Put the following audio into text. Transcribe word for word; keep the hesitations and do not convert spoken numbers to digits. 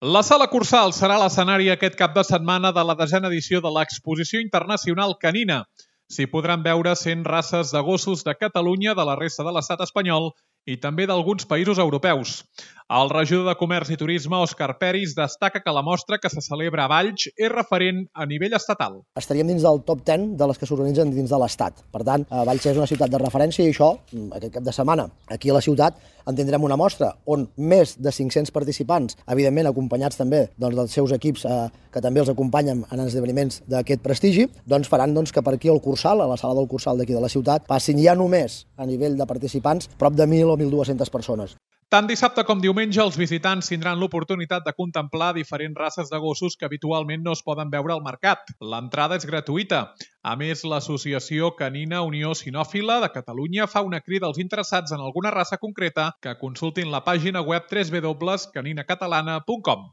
La Sala Cursal serà l'escenari aquest cap de setmana de la desena edició de l'Exposició Internacional Canina. S'hi podran veure cent races de gossos de Catalunya, de la resta de l'estat espanyol i també d'alguns països europeus. El regidor de Comerç i Turisme, Òscar Peris, destaca que la mostra que se celebra a Valls és referent a nivell estatal. Estaríem dins del top deu de les que s'organitzen dins de l'Estat. Per tant, Valls és una ciutat de referència i això, aquest cap de setmana, aquí a la ciutat, en tindrem una mostra on més de cinc-cents participants, evidentment acompanyats també doncs, dels seus equips eh, que també els acompanyen en esdeveniments d'aquest prestigi, doncs faran doncs, que per aquí al Cursal, a la sala del Cursal d'aquí de la ciutat, passin ja només a nivell de participants prop de mil o mil dues-centes persones. Tant dissabte com diumenge, els visitants tindran l'oportunitat de contemplar diferents races de gossos que habitualment no es poden veure al mercat. L'entrada és gratuïta. A més, l'Associació Canina Unió Cinòfila de Catalunya fa una crida als interessats en alguna raça concreta que consultin la pàgina web w w w punt canina catalana punt com.